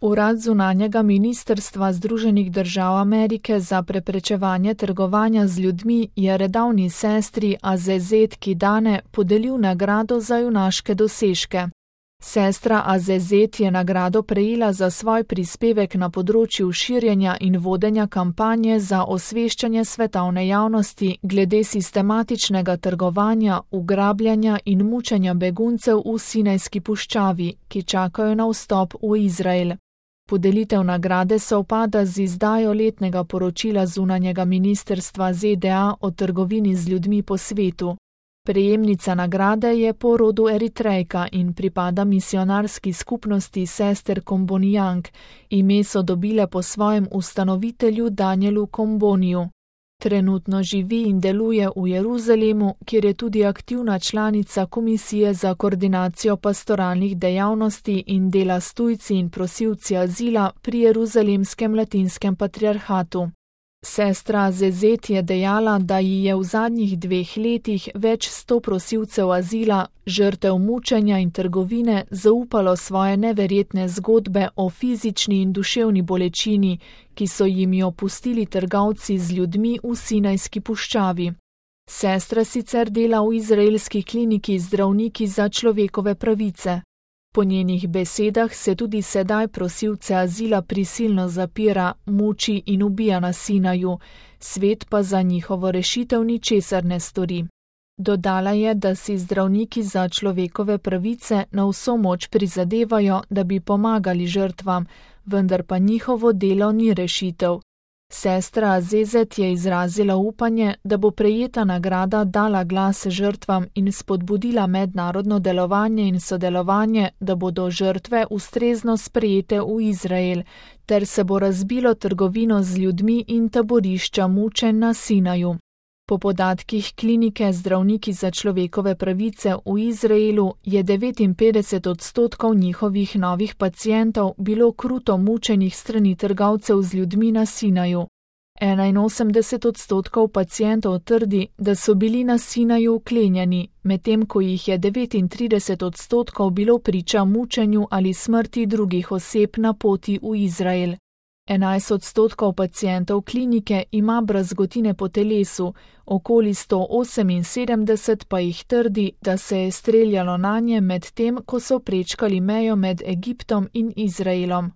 Urad zunanjega ministrstva Združenih držav Amerike za preprečevanje trgovanja z ljudmi je redavni sestri Azezet Kidane podelil nagrado za junaške dosežke. Sestra Azezet je nagrado prejela za svoj prispevek na področju širjenja in vodenja kampanje za osveščanje svetovne javnosti glede sistematičnega trgovanja, ugrabljanja in mučenja beguncev v Sinajski puščavi, ki čakajo na vstop v Izrael. Podelitev nagrade sovpada z izdajo letnega poročila zunanjega ministrstva ZDA o trgovini z ljudmi po svetu. Prejemnica nagrade je po rodu Eritrejka in pripada misionarski skupnosti sester Kombonijang. Ime so dobile po svojem ustanovitelju Danielu Komboniju. Trenutno živi in deluje v Jeruzalemu, kjer je tudi aktivna članica Komisije za koordinacijo pastoralnih dejavnosti in dela s tujci in prosilci azila pri Jeruzalemskem latinskem patriarhatu. Sestra Azezet je dejala, da ji je v zadnjih 2 letih več 100 prosilcev azila, žrtev mučenja in trgovine, zaupalo svoje neverjetne zgodbe o fizični in duševni bolečini, ki so jim jo pustili trgovci z ljudmi v Sinajski puščavi. Sestra sicer dela v izraelski kliniki Zdravniki za človekove pravice. Po njenih besedah se tudi sedaj prosilce azila prisilno zapira, muči in ubija na Sinaju, svet pa za njihovo rešitev ničesar ne stori. Dodala je, da si Zdravniki za človekove pravice na vso moč prizadevajo, da bi pomagali žrtvam, vendar pa njihovo delo ni rešitev. Sestra Azezet je izrazila upanje, da bo prejeta nagrada dala glas žrtvam in spodbudila mednarodno delovanje in sodelovanje, da bodo žrtve ustrezno sprejete v Izrael, ter se bo razbilo trgovino z ljudmi in taborišča mučenj na Sinaju. Po podatkih klinike Zdravniki za človekove pravice v Izraelu je 59% njihovih novih pacientov bilo kruto mučenih strani trgovcev z ljudmi na Sinaju. 81% pacientov trdi, da so bili na Sinaju vklenjeni, medtem ko jih je 39% bilo priča mučenju ali smrti drugih oseb na poti v Izrael. 11% pacientov klinike ima brazgotine po telesu, okoli 178 pa jih trdi, da se je streljalo nanje med tem, ko so prečkali mejo med Egiptom in Izraelom.